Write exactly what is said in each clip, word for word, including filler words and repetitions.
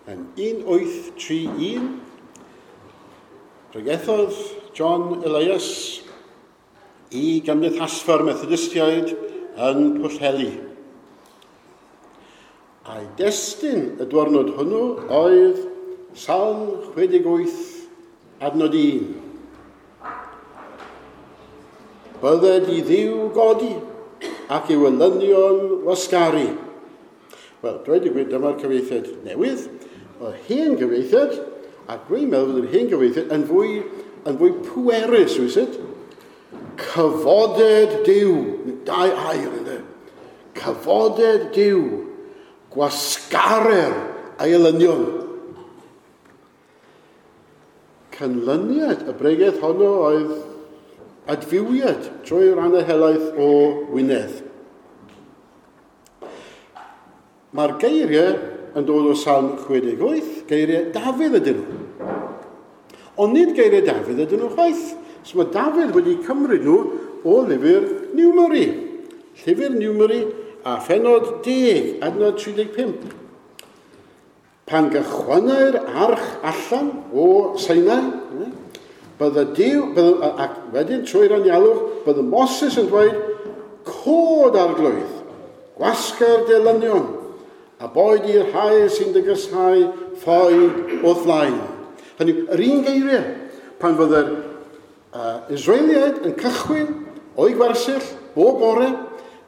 Yn un wyth tri un, pregethodd John Elias i Gymdeithasfa'r Methodistiaid yn Pwllheli. A'i destun y diwrnod hwnnw oedd Salm chwe deg wyth, adnod un. Bydded i Dduw godi ac i'w elynion wasgaru. Wel, dweud y gwir, dyma'r cyfieithiad newydd, o'r hen gyfieithiad, ac dwi'n meddwl bod yr hen gyfieithiad yn fwy, yn fwy pwerus, wyt? Cyfoded Duw, dau air, ynddo. Cyfoded Duw, gwasgarer ei elynion. Canlyniad y bregeth honno oedd adfywiad trwy rannau helaeth o Wynedd. Mae'r geiriau yn dod o Salm chwe deg wyth, geiriau Dafydd ydyn nhw. Ond nid geiriau Dafydd ydyn nhw chwaith. So mae Dafydd wedi cymryd nhw o lyfr Numeri. Llyfr Numeri a phennod deg, adnod tri deg pump. Pan gychwynnai'r arch allan o Sinai, bydde Duw, bydde, ac wedyn trwy'r anialwch, bydde Moses yn dweud, cod arglwydd, gwasga'r delynion, a boed i'r rhai sy'n dygysau ffoi wrth flaen. Hynny, yr un geiriau, pan fydde'r uh, Israeliaid yn cychwyn o'i gwersyll bob bore,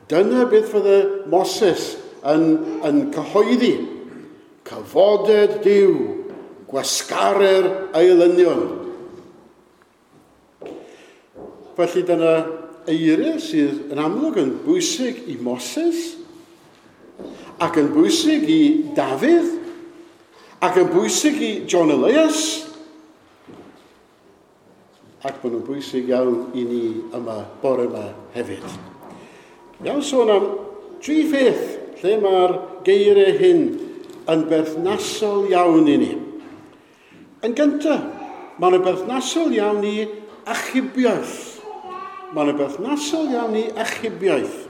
dyna beth fydde Moses yn, yn cyhoeddi. Cyfoded Duw, gwasgarer ei elynion. Felly dyna eiriau sydd yn amlwg yn bwysig i Moses, ac yn bwysig i Dafydd, ac yn bwysig i John Elias, ac maen nhw'n bwysig iawn i ni yma bore yma hefyd. Iawn sôn am tri pheth lle mae'r geiriau hyn yn berthnasol iawn i ni. Yn gyntaf, maen nhw'n berthnasol iawn i achubiaeth. Maen nhw'n berthnasol iawn i achubiaeth.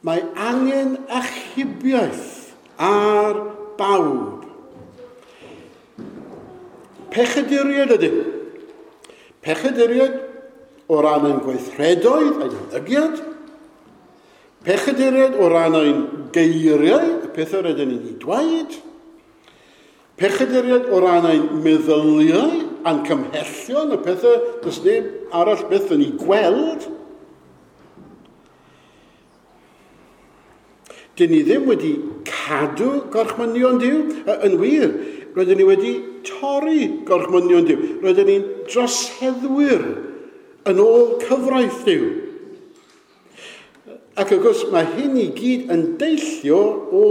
Mae angen achubiaeth ar bawb. Pechaduriaid ydym. Pechaduriaid o ran ein gweithredoedd, ein ymddygiad. Pechaduriaid o ran ein geiriau, y pethau rydyn ni'n ei dweud. Pechaduriaid o ran ein meddyliau, a'n cymhellion, y pethau does neb arall byth yn ei gweld. Dyn ni ddim wedi cadw gorchmynion Duw. Yn wir, rydyn ni wedi torri gorchmynion Duw. Rydyn ni'n droseddwyr yn ôl cyfraith Duw. Ac wrth gwrs, mae hyn i gyd yn deillio o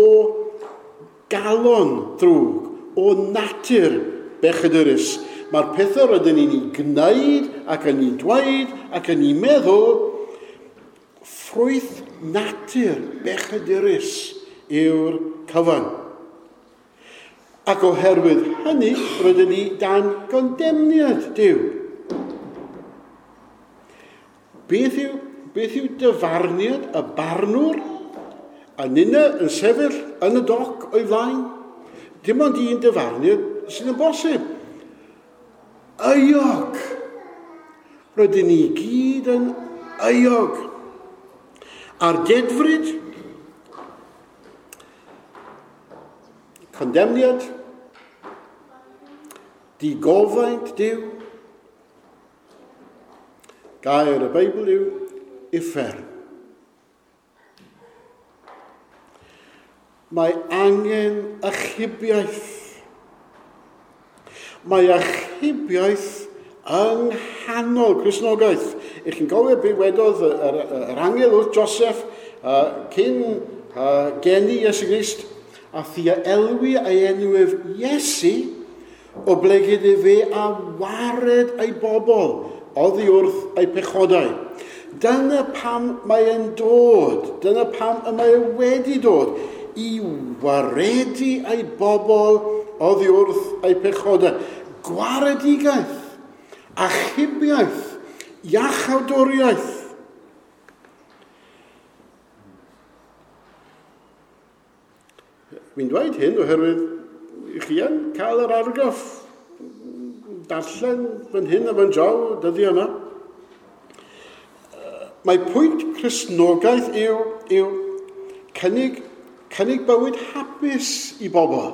galon ddrwg, o natur bechadurus. Mae'r pethau rydyn ni'n ei gwneud ac yn ei dweud ac yn ei meddwl, ffrwyth natur bechadurus yw'r cyfan. Ac oherwydd hynny, rydyn ni dan gondemniad Duw. Beth yw, beth yw dyfarniad y barnwr? A ninna yn sefyll yn y doc o'i flaen? Dim ond un dyfarniad sydd yn bosib. Euog. Rydyn ni gyd yn euog. A'r dedfryd, condemniad, digofaint Duw, gair y Beibl yw uffern. Mae angen achubiaeth. Mae achubiaeth yng nghanol Cristnogaeth. Ych chi'n gofio be wedodd yr, yr angel wrth Joseph uh, cyn uh, geni Iesu Grist, a thia elwi ei enw ef Iesu, oblegid efe a wared ei bobl oddi wrth ei pechodau. Dyna pam mae e'n dod, dyna pam y mae e wedi dod, i waredu ei bobl oddi wrth ei pechodau. Gwaredigaeth, achubiaeth, iachawdwriaeth. Dwi'n dweud hyn oherwydd chi yn cael yr argraff darllen fan hyn a fan draw dyddiau yma. Mae pwynt Cristnogaeth yw, yw cynnig, cynnig bywyd hapus i bobl.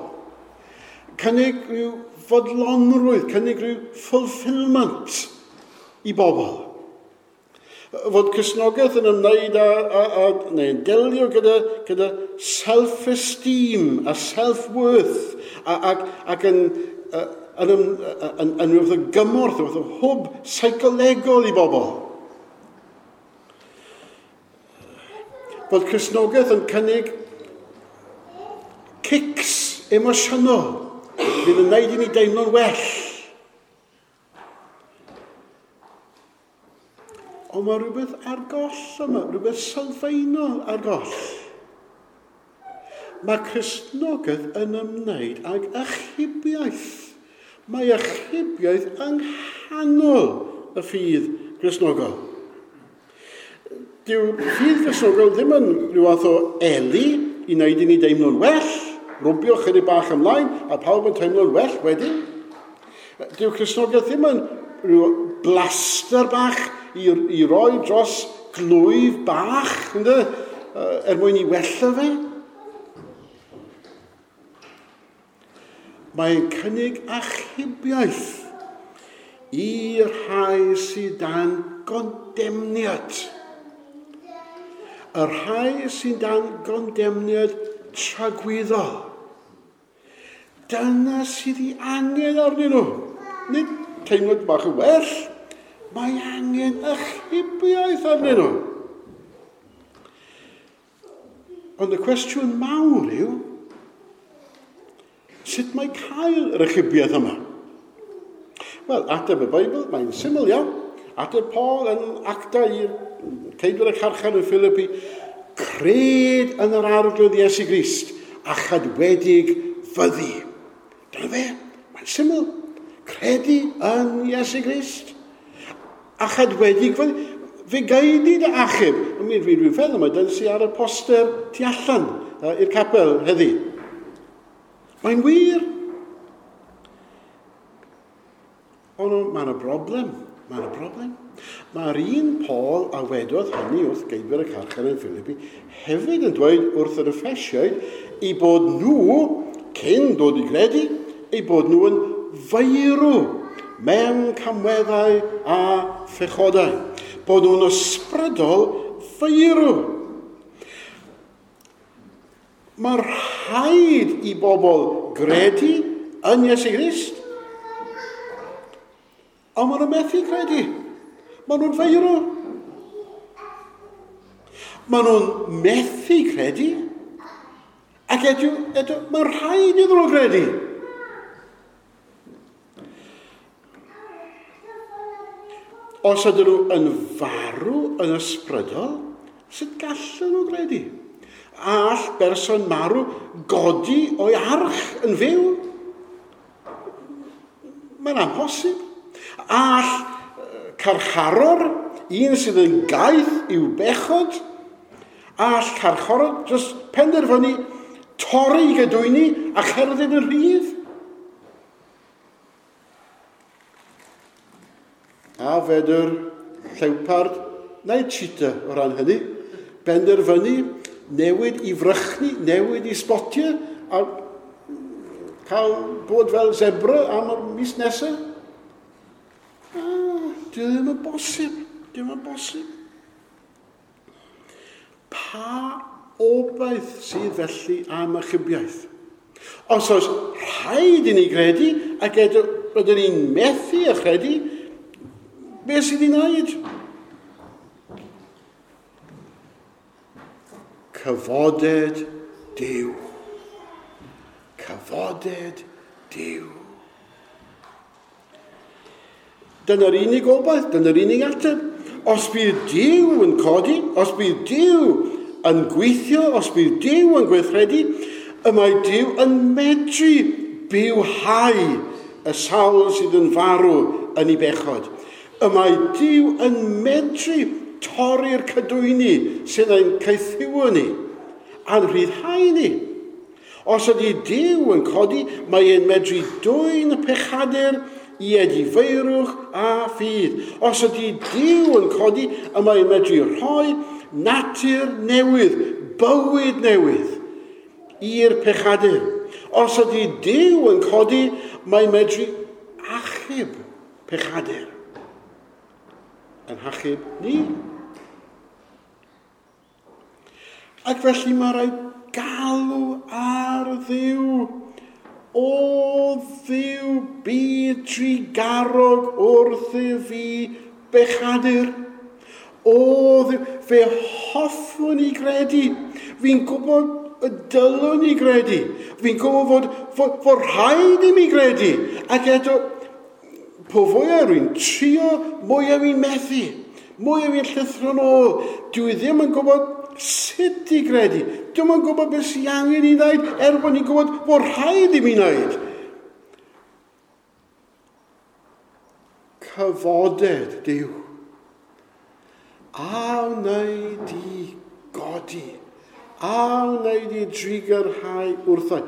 Cynnig rhyw fodlonrwydd, cynnig rhyw fulfillment i bobl. Fod Cristnogaeth yn ymwneud â, â, â neu'n delio gyda, gyda self-esteem a self-worth ac, ac yn, yn, yn, yn, yn rhywbeth o gymorth, rhywbeth o hwb seicolegol i bobl. Bod Cristnogaeth yn cynnig kicks emosiynol fydd yn gwneud i ni deimlo'n well. Ond mae rhywbeth ar goll yma, rhywbeth sylfaenol ar goll. Mae Cristnogaeth yn ymwneud ag achubiaeth. Mae achubiaeth yng nghanol y ffydd Gristnogol. Dyw ffydd Gristnogol ddim yn rhyw fath o eli i wneud i ni deimlo'n well, rwbio chydig bach ymlaen, a pawb yn teimlo'n well wedyn. Dyw Cristnogaeth ddim yn rhyw blaster bach i, i roi dros glwyf bach, ynddo, er mwyn i wella fe. Mae'n cynnig achubiaeth i'r rhai sydd dan gondemniad. Y rhai sy'n dan gondemniad tragwyddol. Dyna sydd ei angen arnyn nhw. Nid teimlad bach yn well, mae angen achubiaeth arnyn nhw. Ond y cwestiwn mawr yw, sut mae cael yr achubiaeth yma? Wel, ateb y Beibl, mae'n syml iawn. Ateb Paul yn acta i'r ceidwad y carchar yn Philippi, cred yn yr Arglwydd Iesu Grist a chadwedig fyddi. Dyna fe, mae'n syml. Credu yn Iesu Grist a chadwedig fyddi. Fe gael i dy achub. Mi dwi'n feddwl mae dyna sydd ar y poster tu allan i'r capel heddi. Mae'n wir. Ond mae yna broblem. Mae yna broblem. Mae'r un Paul a wedodd hynny wrth geidwyr y carchar yn Philippi hefyd yn dweud wrth yr Effesiaid eu bod nhw, cyn dod i gredu, eu bod nhw yn feirw mewn camweddau a phechodau. Bod nhw'n ysbrydol feirw. Mae rhaid i bobl gredu yn Iesu Grist, ond maen nhw'n methu credu. Maen nhw'n feirw. Maen nhw'n methu credu, ac eto, eto mae'n rhaid iddyn nhw gredu. Os ydyn nhw yn farw yn ysbrydol, sut gallen nhw gredu? All berson marw godi o'i arch yn fyw? Mae'n amhosib. All carcharor, un sydd yn gaeth i'w bechod, all carcharor jyst penderfynu torri gedwyni a cherdded yn rhydd? A fedr llewpard neu cheetah o ran hynny, benderfynu newid i frychni, newid i sbotiau, a cael bod fel zebra am y mis nesaf. Ah, dwi ddim yn bosib, dwi ddim yn bosib. Pa obaith sydd felly am achubiaeth? Os oes rhaid i ni gredu, ac eto rydyn ni'n methu a chredu, beth sydd i wneud? Cyfoded Duw. Cyfoded Duw. Dyna'r unig obaith, dyna'r unig ateb. Os bydd Duw yn codi, os bydd Duw yn gweithio, os bydd Duw yn gweithredu, y mae Duw yn medru bywhau y sawl sydd yn farw yn ei bechod. Y mae Duw yn medru torri'r cadwyni sydd ein caethiwo ni a'n rhyddhau ni. Os ydy Duw yn codi, mae e'n medru dwyn y pechadur i edifeirwch a ffydd. Os ydy Duw yn codi, y mae'n medru rhoi natur newydd, bywyd newydd i'r pechadur. Os ydy Duw yn codi, mae'n medru achub pechadur. Yn hachub ni. Ac felly mae rhaid galw ar Dduw. O Dduw, bydd trugarog wrthyf fi bechadur. O Dduw, fe hoffwn i gredu. Fi'n gwybod y dylwn i gredu. Fi'n gwybod fod, fod, fod rhaid i mi gredu. Ac eto, po fwyaf rwy'n trio, mwyaf fi'n methu. Mwyaf fi'n llithro'n ôl. Dwi ddim yn gwybod sut i gredu. Dwi'm yn gwybod beth sy'n angen i wneud, er bod ni'n gwybod bod rhaid i mi wneud. Cyfoded Duw. A wnei di godi. A wnei di drugarhau wrtho.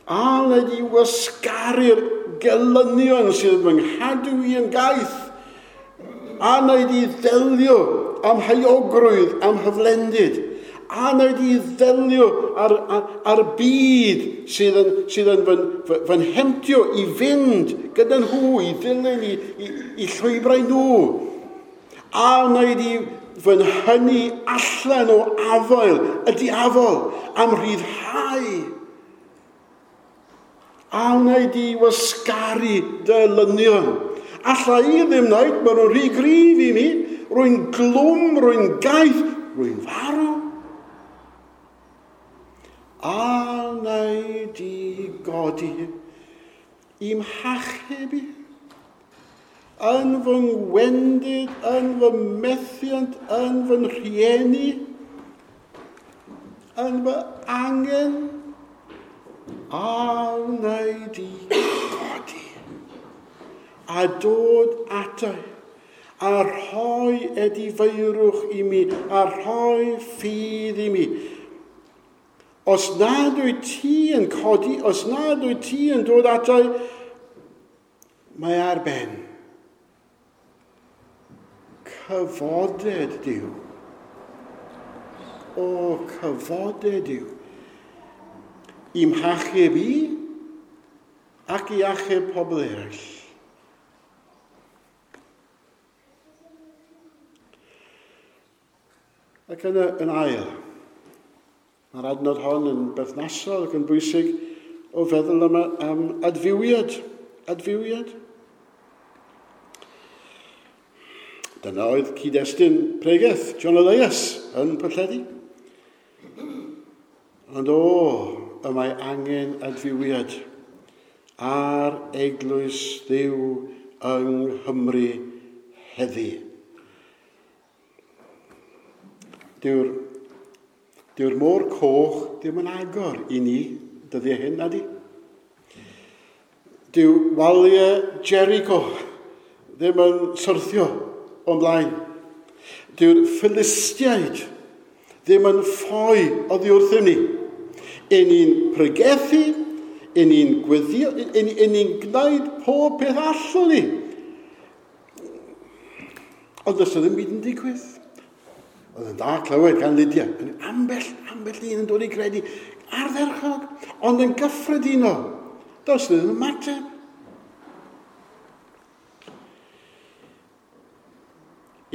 A wnei di wasgaru'r gelynion sydd fy nghadw i yn gaeth. A wnei di ddelio am heuogrwydd, am hyflendid. A wnei di ddelio ar, ar, ar byd sydd yn, sydd yn fy, fy, fy nhemtio i fynd gyda nhw, i ddilyn, i, i, i llwybrau nhw. A wnei di fy nhynnu allan o afael y diafol am rhyddhau. A wnei di wasgaru dy lynion. Alla i ddim wneud, maen nhw'n rhy gryf i mi. Rwy'n glwm, rwy'n gaeth, rwy'n farw. A wnei di godi i'm hachub i, yn fy ngwendid, yn fy methiant, yn fy rhieni, yn fy angen, a wnei di godi a dod ato a rhoi edifeirwch i mi, a rhoi ffydd i mi. Os nad wyt ti yn codi, os nad wyt ti yn dod ato, mae ar ben. Cyfoded Duw. O, cyfoded Duw. I'm hachub i ac i achub pobl eraill. Ac yna yn ail, mae'r adnod hon yn berthnasol ac yn bwysig o feddwl am, am adfywiad. Adfywiad. Dyna oedd cyd-destun pregeth John Elias yn Pwllheli. Ond o, y mae angen adfywiad ar eglwys Dduw yng Nghymru heddi. Dyw'r, dyw'r môr coch ddim yn agor i ni dyddiau hyn, nadi? Dyw waliau Jericho ddim yn syrthio o'n blaen. Dyw'r Philistiaid ddim yn ffoi oddi wrthym ni. Yn ni'n pregethu, yn ni'n gweddio, yn ni'n gwneud pob peth allwn ni. Ond does ddim byd yn digwydd. Oedd yn dda clywed gan Lydia. Ambell, ambell un yn dod i gredu ardderchog, ond yn gyffredinol. Does ddim ymateb.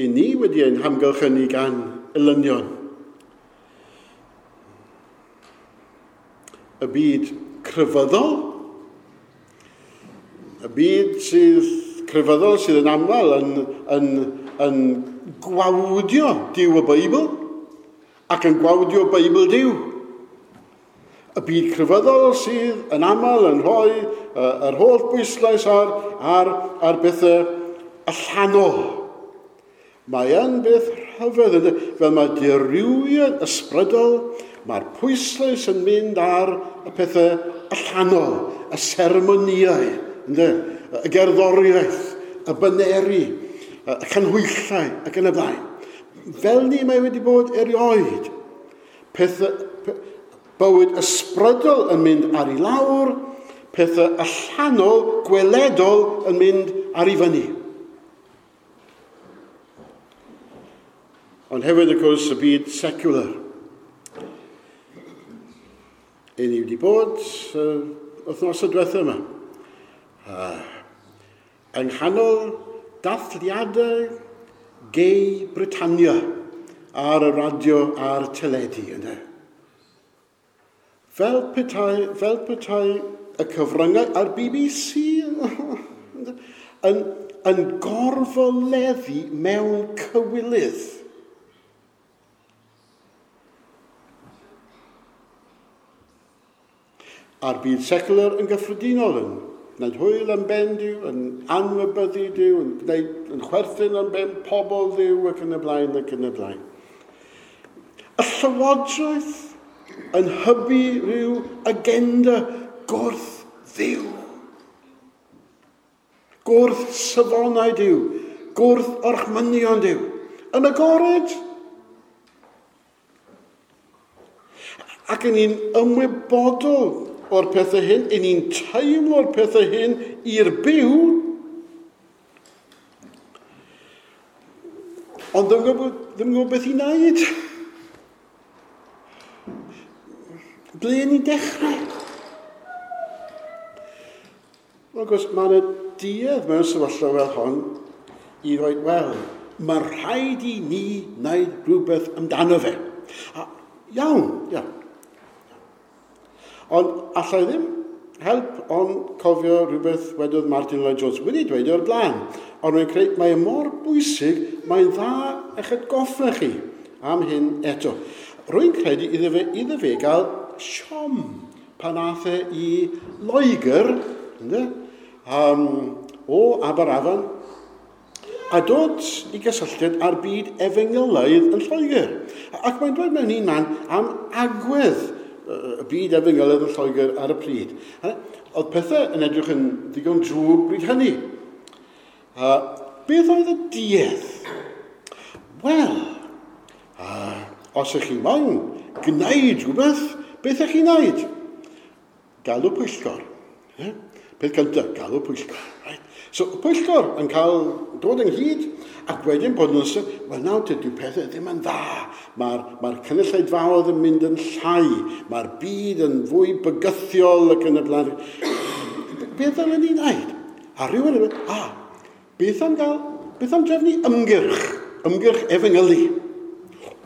I ni wedi ein hamgylchynu gan elynion. Y byd crefyddol, y byd sydd crefyddol sydd yn aml yn, yn, yn gwawdio Duw y Beibl ac yn gwawdio Beibl Duw. Y byd crefyddol sydd yn aml yn rhoi uh, yr holl bwyslais ar, ar, ar bethau allanol. Mae yn beth rhyfedd, fel mae dirywiad ysbrydol, mae'r pwyslais yn mynd ar y pethau allanol, y seremoniau, ynddo? Y gerddoriaeth, y baneri, y canhwyllau ac yn y blaen. Fel ni mae wedi bod erioed. Pethau, pe, Bywyd ysbrydol yn mynd ar ei lawr, pethau allanol, gweledol yn mynd ar ei fyny. Ond hefyd, wrth gwrs, y byd secular. Ein ni wedi bod uh, wythnos y diwethaf yma. Uh, yng nghanol dathliadau gay Britannia ar y radio a'r teledu, ynddo. Fel petai, fel petai y cyfryngau a'r B B C yn, yn gorfoleddu mewn cywilydd. A'r byd secular yn gyffredinol yn gwneud hwyl am ben Duw, yn anwybyddu Duw, yn, gwneud, yn chwerthin am ben pobl Dduw ac yn y blaen ac yn y blaen. Y llywodraeth yn hybu rhyw agenda gwrth Dduw. Gwrth safonau Duw, gwrth orchmynion Duw. Yn agored. Ac yn ni'n ymwybodol o'r pethau hyn, yn ni'n teimlo'r pethau hyn i'r byw, ond ddim gwybod, ddim gwybod beth i wneud. Ble ni'n dechrau? Wel, wrth gwrs, mae yna duedd mewn sefyllfa fel hon i ddweud, wel, mae rhaid i ni wneud rhywbeth amdano fe. A, iawn, iawn. Ond allai ddim help ond cofio rhywbeth wedodd Martin Lloyd Jones wedi dweud o'r blaen. Ond rwy'n credu mae e mor bwysig, mae'n dda eich atgoffa chi am hyn eto. Rwy'n credu iddo fe, iddo fe gael siom pan aeth e i Loegr, ynddo, um, o Aberafan, a dod i gysylltiad â'r byd efengylaidd yn Lloegr. Ac mae'n dweud mewn un man am agwedd y byd efengylaidd yn Lloegr ar y pryd. Oedd pethau yn edrych yn ddigon drwg bryd hynny. Uh, beth oedd y duedd? Wel, uh, os ych chi moyn gwneud rhywbeth, beth ych chi'n wneud? Galw pwyllgor. Yeah? Peth cyntaf, galw pwyllgor. Right? So, y pwyllgor yn cael dod ynghyd, ac wedyn bod nhw'n sôn, wel nawr dydy pethau ddim yn dda. Mae'r mae cynulleidfaoedd yn mynd yn llai, mae'r byd yn fwy bygythiol ac yn y blaen. Beth ddylen ni wneud? A rhywun yn mynd, ah, beth am gael, beth am drefnu ymgyrch, ymgyrch efengylu?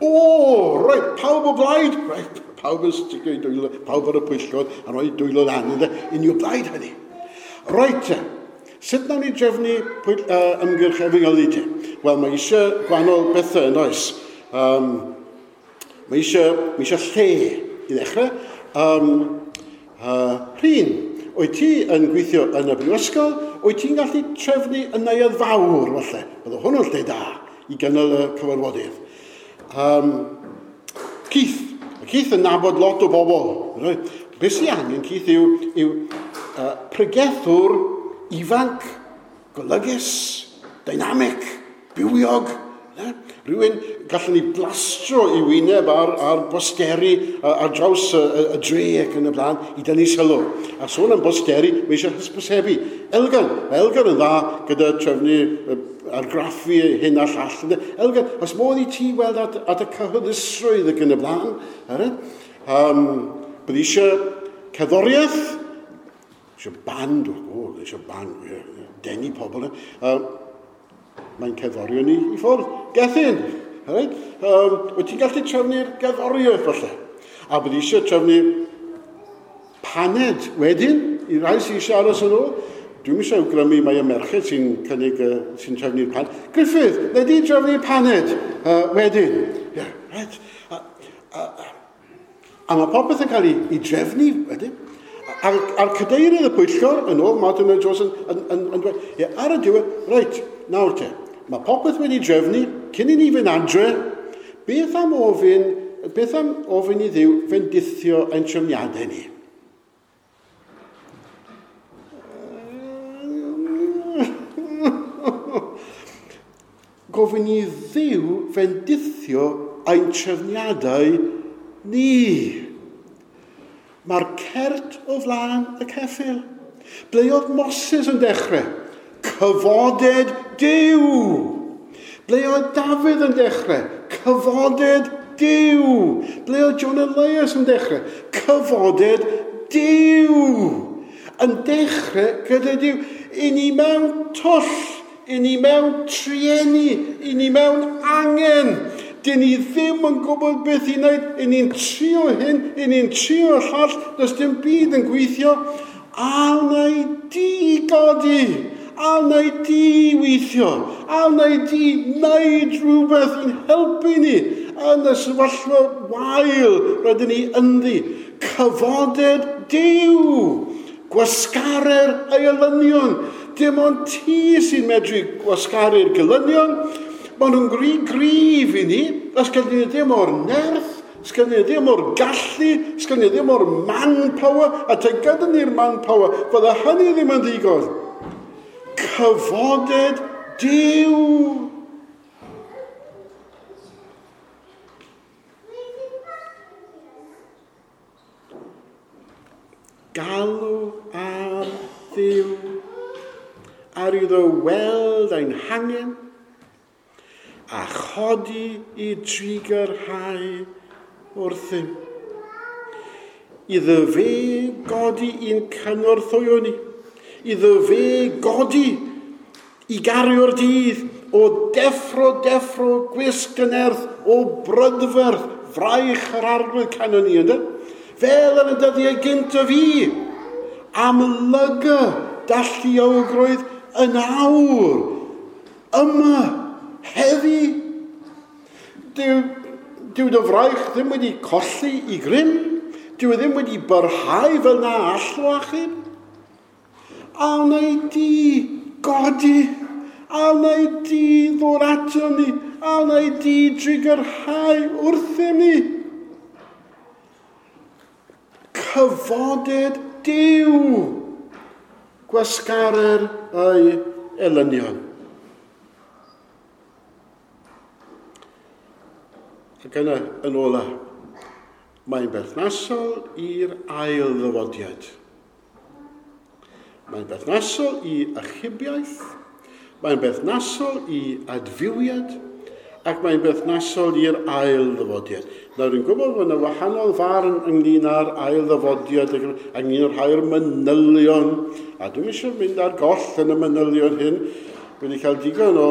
O, reit, pawb o blaid, reit, pawb yn sticio i dwylo, pawb ar y pwyllgor yn rhoi dwylo lan, ynddo, un i o blaid hynny. Reit, sut nawn ni drefnu pwyll, uh, ymgyrch efengylu te? Wel, mae eisiau gwahanol bethau yn oes. Um, mae eisiau, mae eisiau lle i ddechrau. Um, uh, Rhun, wyt ti yn gweithio yn y brifysgol, wyt ti'n gallu trefnu y neuadd fawr, falle? Bydde hwnnw'n lle da i gynnal y cyfarfodydd. Um, Keith, Keith yn nabod lot o bobl. Right? Beth sy'n angen, Keith, yw, yw uh, pregethwr ifanc, golygus, dynamic, bywiog. Ne? Rhywun gallwn ni blastro i wyneb ar, ar bosteri ar draws y, y, y dre ac yn y blaen i dynnu sylw. A sôn am bosteri, mae eisiau hysbysebu. Elgan, mae Elgan yn dda gyda trefnu argraffu hyn a llall. Elgan, os modd i ti weld at, at y cyhoeddusrwydd ac yn y blaen. Um, bydd eisiau cerddoriaeth, eisiau band, o, eisiau band, denu pobl. Um, mae'n cerddorion ni i ffwrdd. Gethin, right? Um, wyt ti'n gallu trefnu'r gerddoriaeth falle? A bydd eisiau trefnu paned wedyn, i rai sy'n eisiau aros yn ôl. Dwi'm eisiau awgrymu mai y merched sy'n cynnig, uh, sy'n trefnu'r paned. Griffith, neu di trefnu paned uh, wedyn. Yeah, right. A, a, a, a mae popeth yn cael ei, ei drefnu wedyn. A'r, a'r cadeirydd y pwyllgor, yn ôl Martin Lloyd Jones, yn, yn, yn, yn dweud, ie, ar y diwedd, reit, nawr te, mae popeth wedi drefnu, cyn i ni fynd adre, beth am ofyn, beth am ofyn i Dduw fendithio ein trefniadau ni? Gofyn i Dduw fendithio ein trefniadau ni. cert o flaen y ceffyl. Ble oedd Moses yn dechrau? Cyfoded Duw. Ble oedd Dafydd yn dechrau? Cyfoded Duw. Ble oedd John Elias yn dechrau? Cyfoded Duw. Yn dechrau gyda Duw. I ni mewn twll, i ni mewn trueni, i ni mewn angen. Dyn ni ddim yn gwybod beth i wneud. I ni'n trio hyn, i ni'n trio llall, does dim byd yn gweithio. A wnei di godi, a wnei di weithio, a wnei di wneud rhywbeth i'n helpu ni yn y sefyllfa wael rydyn ni ynddi. Cyfoded Duw, gwasgarer ei elynion. Dim ond ti sy'n medru gwasgaru'r gelynion. Maen nhw'n gry gryf i ni, os gen ni ddim o'r nerth, os gen ni ddim o'r gallu, os gen ni ddim o'r manpower, a te gyda ni'r manpower, fydda hynny ddim yn ddigon. Cyfoded Duw. Galw ar Dduw, ar iddo weld ein hangen, a chodi i drigyrhau wrthym. Iddo fe godi i'n cynorthwyo ni. Iddo fe godi i gario'r dydd o deffro, deffro, gwisg yn erth, o brydferth, fraich yr arglwydd canon ni, ynddo? Fel yn y dyddiau gynt o fi, amlyga dalluogrwydd yn awr, yma, heddi. Dyw, dyw dy fraich ddim wedi colli i grym, dyw e ddim wedi byrhau fel na allo achub. A wnei di godi, a wnei di ddod ato ni, a wnei di drigyrhau wrthym ni. Cyfoded Duw, gwasgarer ei elynion. Ac yna, yn ola, mae'n berthnasol i'r ail ddyfodiad. Mae'n berthnasol i achubiaeth, mae'n berthnasol i adfywiad, ac mae'n berthnasol i'r ail ddyfodiad. Nawr, dwi'n gwybod bod yna wahanol farn ynglyn â'r ail ddyfodiad, ynglyn â'r rhai'r manylion, a dwi'n eisiau mynd ar goll yn y manylion hyn. Wedi cael digon o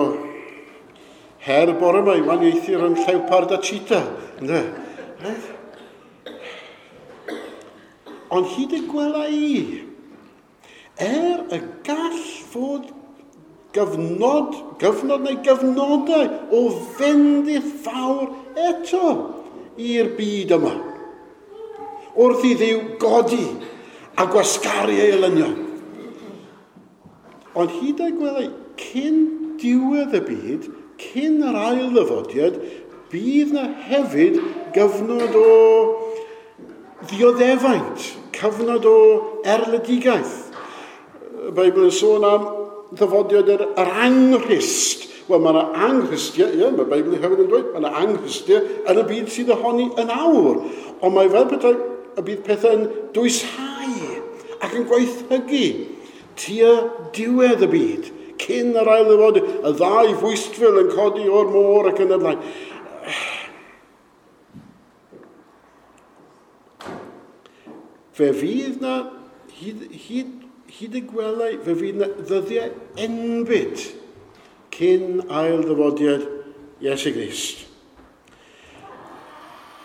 her bore yma i waniaethu rhwng llewpard a cheetah. Ynde? Right? Ond hyd y gwela i, er y gall fod gyfnod, gyfnod neu gyfnodau o fendith fawr eto i'r byd yma. Wrth i Dduw godi a gwasgaru ei elynion. Ond hyd y gwela i, cyn diwedd y byd, cyn yr ail ddyfodiad, bydd na hefyd gyfnod o ddioddefaint, cyfnod o erledigaeth. Y Beibl yn sôn am ddyfodiad yr, yr anghrist. Wel, mae yna anghristiau, ie, mae'r Beibl hefyd yn dweud, mae yna anghristiau yn y byd sydd ohoni yn awr. Ond mae fel petai y bydd pethau'n dwyshau ac yn gwaethygu tua diwedd y byd, cyn yr ail ddyfodiad, y ddau fwystfil yn codi o'r môr ac yn y blaen. Fe fydd na, hyd, hyd, hyd y gwelai, fe fydd na ddyddiau enbyd cyn ail ddyfodiad Iesu Grist.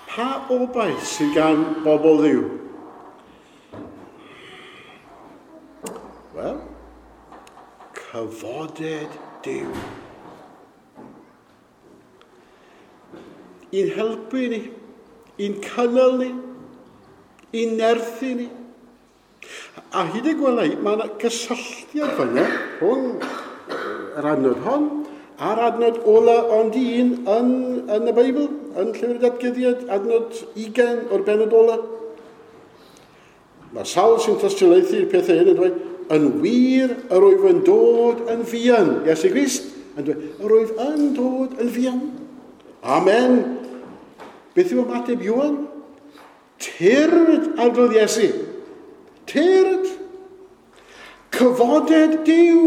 Pa obaith sydd gan bobl Dduw? Wel, cyfoded Duw. I'n helpu ni, i'n cynnal ni, i'n nerthu ni. A hyd y gwelai, mae yna gysylltiad fan'na rhwng yr adnod hon a'r adnod ola ond un yn, yn y Beibl, yn Llyfr y Datguddiad, adnod ugain o'r bennod ola. Mae sawl sy'n tystiolaethu'r pethau hyn yn dweud, yn wir yr wyf yn dod yn fuan. Iesu Grist yn dweud, yr wyf yn dod yn fuan. Amen. Beth yw ymateb Ioan? Tyrd, Arglwydd Iesu. tyrd. Cyfoded Duw,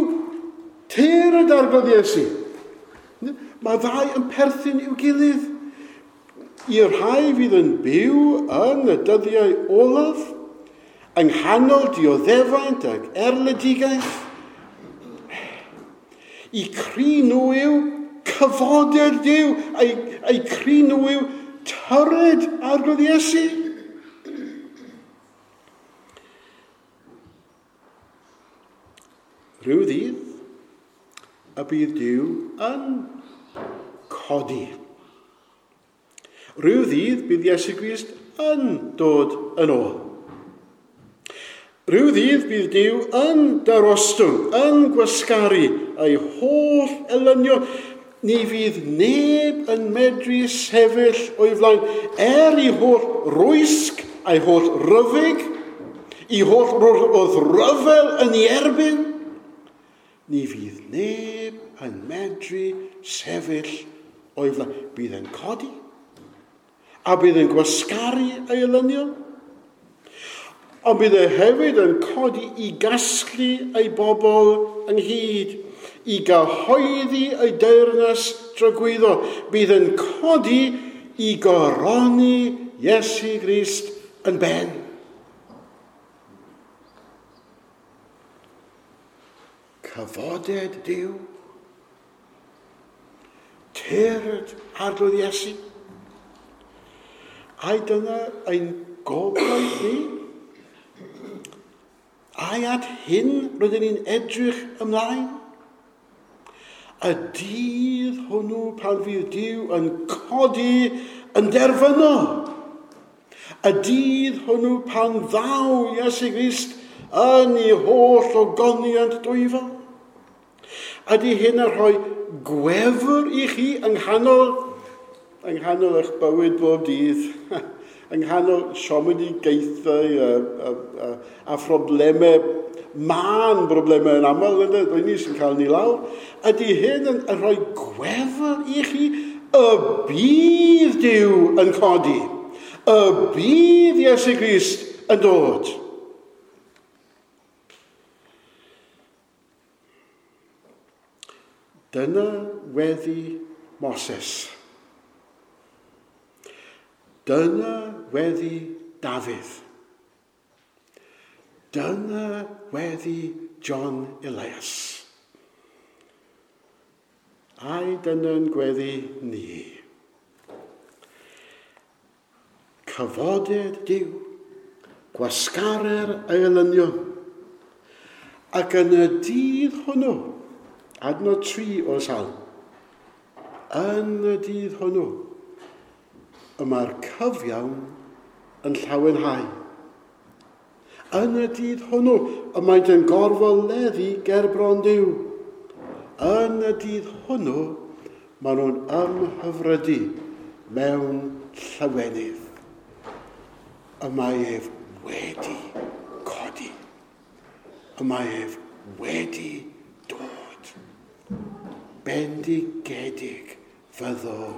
tyrd Arglwydd Iesu. Mae ddau yn perthyn i'w gilydd. I'r rhai fydd yn byw yn y dyddiau olaf, yng nghanol dioddefaint ac erledigaeth, i cri nhw yw cyfoded Duw, a'i, a'i cri nhw yw tyrd Arglwydd Iesu. Rhyw ddydd, y bydd Duw yn codi. Rhyw ddydd bydd Iesu Grist yn dod yn ôl. Rhyw ddydd bydd Duw yn darostwng, yn gwasgaru ei holl elynion. Ni fydd neb yn medru sefyll o'i flaen, er i holl rwysg a'i holl ryfyg, i holl wrthryfel yn ei erbyn. Ni fydd neb yn medru sefyll o'i flaen. Bydd yn codi, a bydd yn gwasgaru ei elynion. Ond bydd e hefyd yn codi i gasglu ei bobl ynghyd, i gyhoeddi ei deyrnas dragwyddo. Bydd yn codi i goroni Iesu Grist yn ben. Cyfoded Duw, tyrd Arglwydd Iesu. Ai dyna ein gobaith ni? Ai at hyn rydyn ni'n edrych ymlaen? Y dydd hwnnw pan fydd Duw yn codi yn derfynol. Y dydd hwnnw pan ddaw Iesu Grist yn ei holl ogoniant dwyfol. Ydy hyn yn rhoi gwefr i chi yng nghanol, yng nghanol eich bywyd bob dydd, yng nghanol siomedigaethau a, a, a, a phroblemau, mân broblemau yn aml, ydy, ni sy'n cael ni lawr. Ydy hyn yn, yn rhoi gwefr i chi? Y bydd Duw yn codi. Y bydd Iesu Grist yn dod. Dyna weddi Moses. Dyna weddi Dafydd. Dyna weddi John Elias. Ai dyna'n gweddi ni. Cyfoded Duw, gwasgarer ei elynion. Ac yn y dydd hwnnw, adnod tri o'r salm, yn y dydd hwnnw, y mae'r cyfiawn yn llawenhau. Yn y dydd hwnnw, y maent yn gorfoleddu gerbron Duw. Yn y dydd hwnnw, maen nhw'n ymhyfrydu mewn llawenydd. Y mae ef wedi codi. Y mae ef wedi dod. Bendigedig fyddo